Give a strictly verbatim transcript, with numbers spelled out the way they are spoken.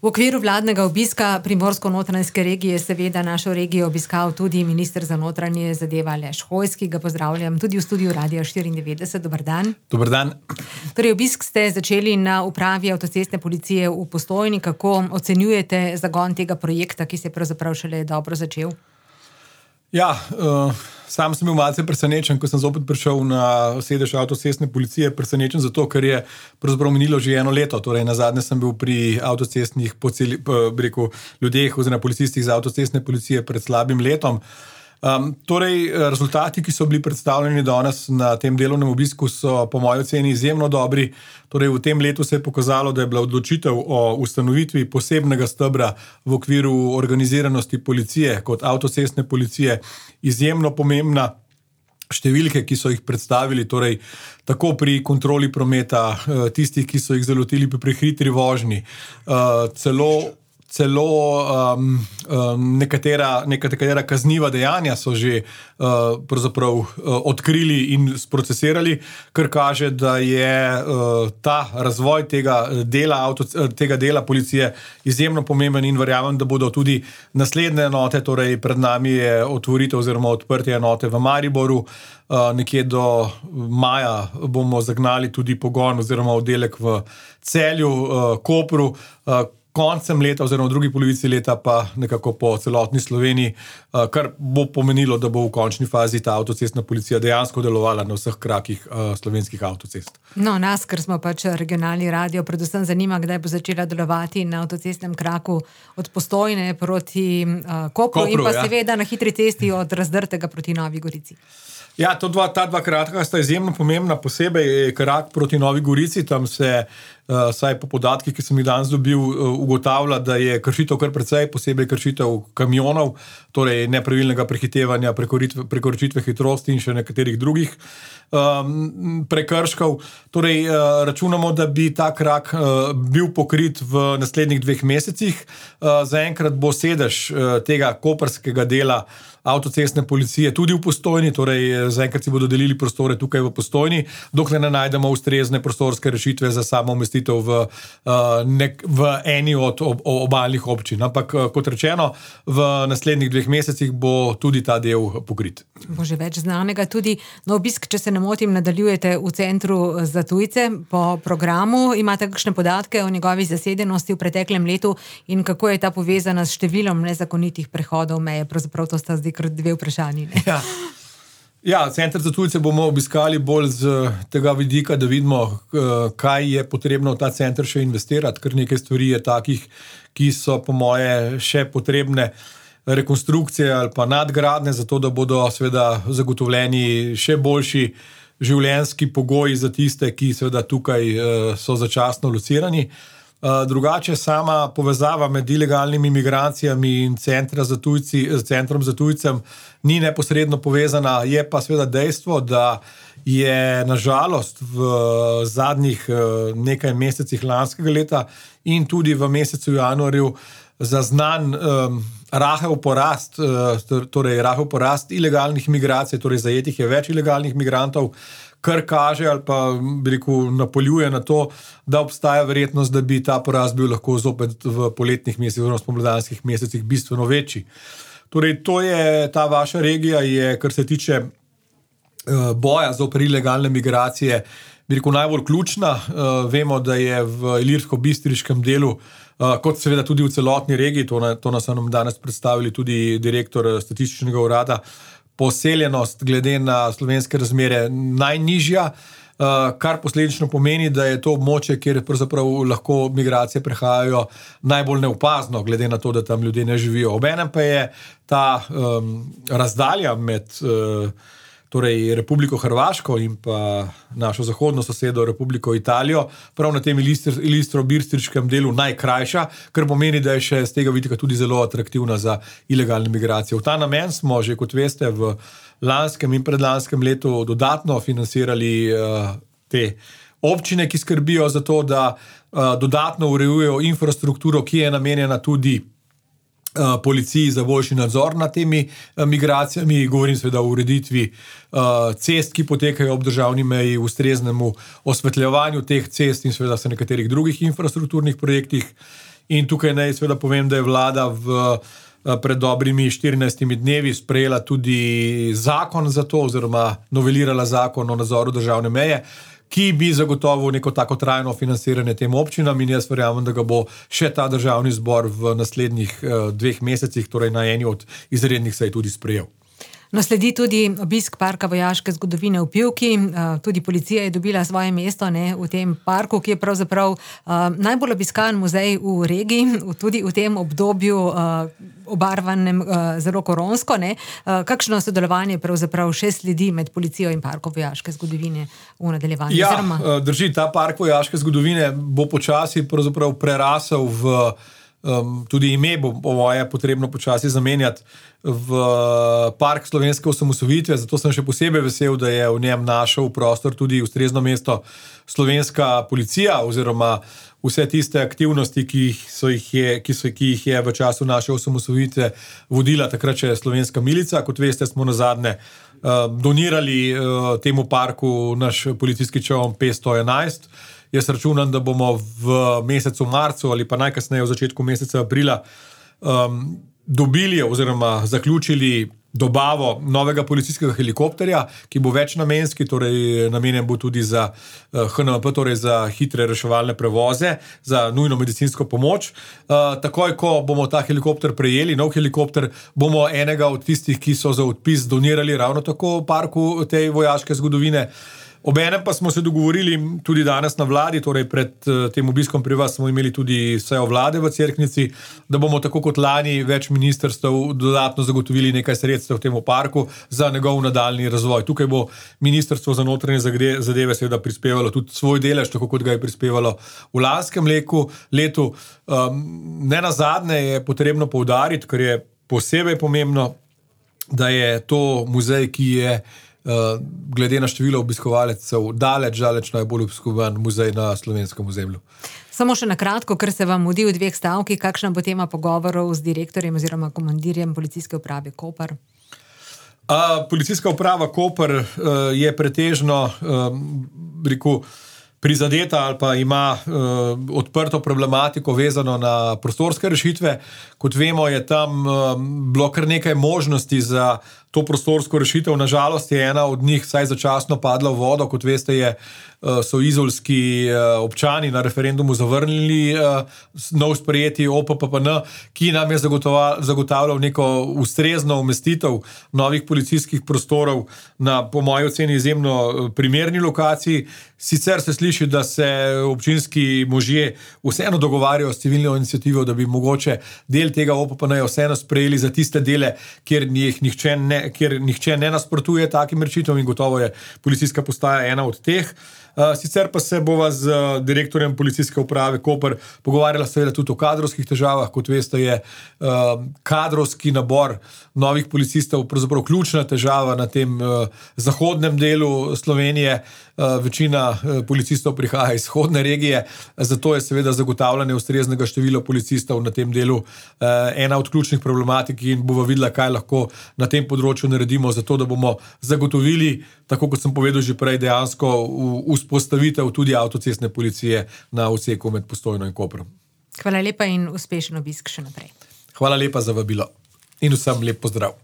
V okviru vladnega obiska Primorsko-notranjske regije je seveda našo regijo obiskal tudi minister za notranje zadeve Aleš Hojs, ki ga pozdravljam tudi v studiu Radia štiriindevetdeset. Dober dan. Dober dan. Torej, obisk ste začeli na upravi avtocestne policije v Postojni. Kako ocenjujete zagon tega projekta, ki se je pravzaprav šele dobro začel? Ja, uh, sam sem bil malce presenečen, ko sem zopet prišel na sedež avtocestne policije. Presenečen zato, ker je pravzaprav minilo že eno leto. Torej, nazadnje sem bil pri avtocestnih poceli, bi rekel, ljudeh oziroma policistih za avtocestne policije pred slabim letom. Um, torej, rezultati, ki so bili predstavljeni danes na tem delovnem obisku, so po moji oceni izjemno dobri. Torej, v tem letu se je pokazalo, da je bila odločitev o ustanovitvi posebnega stebra v okviru organiziranosti policije kot avtocestne policije izjemno pomembna. Številke, ki so jih predstavili, torej tako pri kontroli prometa, tistih, ki so jih zalotili pri prehitri vožnji, celo Celo um, um, nekatera, nekatera kazniva dejanja so že uh, pravzaprav uh, odkrili in sprocesirali, kar kaže, da je uh, ta razvoj tega dela, avto, tega dela policije izjemno pomemben in verjamem, da bodo tudi naslednje enote, torej pred nami je otvoritev oziroma odprtje enote v Mariboru, uh, nekje do maja bomo zagnali tudi pogon oziroma oddelek v Celju, uh, Kopru, uh, koncem leta oziroma v drugi polovici leta pa nekako po celotni Sloveniji, kar bo pomenilo, da bo v končni fazi ta avtocestna policija dejansko delovala na vseh krakih slovenskih avtocest. No, nas, ker smo pač regionalni radio, predvsem zanima, kdaj bo začela delovati na avtocestnem kraku od Postojne proti uh, Kopru, Kopru in pa ja. seveda na hitri cesti od Razdrtega proti Novi Gorici. Ja, to dva, ta dva kratka sta izjemno pomembna, posebej krak proti Novi Gorici, tam se, uh, saj po podatkih, ki sem jih danes dobil, uh, ugotavlja, da je kršitev kar precej, posebej kršitev kamionov, torej nepravilnega prehitevanja, prekoračitve hitrosti in še nekaterih drugih um, prekrškov. Torej, uh, računamo, da bi ta krak uh, bil pokrit v naslednjih dveh mesecih. Uh, zaenkrat bo sedež uh, tega koprskega dela avtocestne policije tudi v Postojni, torej zaenkrat si bodo delili prostore tukaj v Postojni, dokler ne najdemo ustrezne prostorske rešitve za samo umestitev v, nek, v eni od ob, obalnih občin. Ampak, kot rečeno, v naslednjih dveh mesecih bo tudi ta del pokrit. Bo že več znanega. Tudi na obisk, če se ne motim, nadaljujete v Centru za tujce po programu. Imate kakšne podatke o njegovi zasedenosti v preteklem letu in kako je ta povezana s številom nezakonitih prehodov meje? Pravzaprav to sta zdaj kar dve vprašanji. Ja. Ja, Center za tujce bomo obiskali bolj z tega vidika, da vidimo, kaj je potrebno v ta center še investirati, ker nekaj stvari je takih, ki so po moje še potrebne rekonstrukcije ali pa nadgradne, zato da bodo seveda zagotovljeni še boljši življenjski pogoji za tiste, ki seveda tukaj so začasno locirani. Drugače, sama povezava med ilegalnimi migracijami in centra za tujci, centrom za tujcem ni neposredno povezana, je pa seveda dejstvo, da je nažalost v zadnjih nekaj mesecih lanskega leta in tudi v mesecu januarju zaznan um, rahel porast, uh, torej rahel porast ilegalnih migracij, torej zajetih je več ilegalnih migrantov, kar kaže ali pa bi rekel, napoljuje na to, da obstaja verjetnost, da bi ta porast bil lahko zopet v poletnih mesecih oziroma spomladanskih mesecih bistveno večji. Torej, to je ta vaša regija, je, kar se tiče uh, boja zoper ilegalne migracije, bi rekel, najbolj ključna. Uh, vemo, da je v ilirsko-bistriškem delu, uh, kot seveda tudi v celotni regiji, to, na, to nas nam danes predstavili tudi direktor statističnega urada, poseljenost glede na slovenske razmere najnižja, kar posledično pomeni, da je to območje, kjer pravzaprav lahko migracije prehajajo najbolj neopazno, glede na to, da tam ljudje ne živijo. Obenem pa je ta um, razdalja med uh, torej Republiko Hrvaško in pa našo zahodno sosedo Republiko Italijo, prav na tem ilistro-bistriškem delu najkrajša, kar pomeni, da je še z tega vidika tudi zelo atraktivna za ilegalne migracije. V ta namen smo že, kot veste, v lanskem in predlanskem letu dodatno financirali uh, te občine, ki skrbijo za to, da uh, dodatno urejujejo infrastrukturo, ki je namenjena tudi policiji za boljši nadzor nad temi migracijami, govorim seveda o ureditvi cest, ki potekajo ob državni meji, ustreznemu osvetljevanju teh cest in seveda se nekaterih drugih infrastrukturnih projektih. In tukaj naj seveda povem, da je vlada v pred dobrimi štirinajstimi dnevi sprejela tudi zakon za to, oziroma novelirala zakon o nadzoru državne meje, ki bi zagotovil neko tako trajno financiranje tem občinam, in jaz verjamem, da ga bo še ta državni zbor v naslednjih dveh mesecih, torej na eni od izrednih sej tudi sprejel. No, sledi tudi obisk parka vojaške zgodovine v Pivki. Tudi policija je dobila svoje mesto, ne, v tem parku, ki je pravzaprav uh, najbolj obiskan muzej v regiji, tudi v tem obdobju uh, obarvanem uh, zelo koronsko. Ne. Uh, kakšno sodelovanje pravzaprav še sledi med policijo in parkom vojaške zgodovine v nadaljevanju? Ja, Oziroma... drži, ta park vojaške zgodovine bo počasi pravzaprav prerasel v Um, tudi ime bo po moje potrebno počasi zamenjati v park slovenske osamosvojitve, zato sem še posebej vesel, da je v njem našel prostor tudi ustrezno mesto slovenska policija oziroma vse tiste aktivnosti, ki, so jih, je, ki, so, ki jih je v času naše osamosvojitve vodila takrat še slovenska milica. Kot veste, smo nazadnje uh, donirali uh, temu parku naš policijski čoln P sto enajst. Jaz računam, da bomo v mesecu marcu ali pa najkasneje v začetku meseca aprila um, dobili oziroma zaključili dobavo novega policijskega helikopterja, ki bo večnamenski, torej namenjen bo tudi za uh, H N M P, torej za hitre reševalne prevoze, za nujno medicinsko pomoč. Uh, takoj, ko bomo ta helikopter prejeli, nov helikopter, bomo enega od tistih, ki so za odpis donirali ravno tako parku tej vojaške zgodovine. Obenem pa smo se dogovorili tudi danes na vladi, torej pred tem obiskom pri vas smo imeli tudi sejo vlade v Cerknici, da bomo tako kot lani več ministrstev dodatno zagotovili nekaj sredstev v temu parku za njegov nadaljni razvoj. Tukaj bo Ministrstvo za notranje zadeve seveda prispevalo tudi svoj delež, tako kot ga je prispevalo v lanskem leku, letu. Um, ne nazadnje je potrebno poudariti, ker je posebej pomembno, da je to muzej, ki je Uh, glede na število obiskovalcev daleč, daleč najbolj obiskovan muzej na slovenskem ozemlju. Samo še na kratko, ker se vam mudi v dveh stavkih, kakšna bo tema pogovorov z direktorjem oziroma komandirjem policijske uprave Koper? Uh, policijska uprava Koper uh, je pretežno um, rekel, prizadeta ali pa ima uh, odprto problematiko vezano na prostorske rešitve. Kot vemo, je tam uh, bilo kar nekaj možnosti za to prostorsko rešitev. Nažalost je ena od njih vsaj začasno padla v vodo. Kot veste, je, uh, so izolski uh, občani na referendumu zavrnili uh, nov sprejeti O P P P N, ki nam je zagotavljal neko ustrezno umestitev novih policijskih prostorov na, po moji oceni, izjemno primerni lokaciji. Sicer se sliši, da se občinski možje vseeno dogovarjajo s civilno inicijativo, da bi mogoče del tega O P P N-ja vseeno sprejeli za tiste dele, kjer jih nihče ne, kjer nihče ne nasprotuje takim rešitvam, in gotovo je policijska postaja ena od teh. Sicer pa se bova z direktorjem policijske uprave Koper pogovarjala seveda tudi o kadrovskih težavah. Kot veste, je kadrovski nabor novih policistov pravzaprav ključna težava na tem zahodnem delu Slovenije. Večina policistov prihaja iz vzhodne regije, zato je seveda zagotavljanje ustreznega števila policistov na tem delu ena od ključnih problematik, in bova videla, kaj lahko na tem področju naredimo, zato da bomo zagotovili, tako kot sem povedal že prej, dejansko vzpostavitev tudi avtocestne policije na odseku med Postojno in Koprom. Hvala lepa in uspešen obisk še naprej. Hvala lepa za vabilo in vsem lep pozdrav.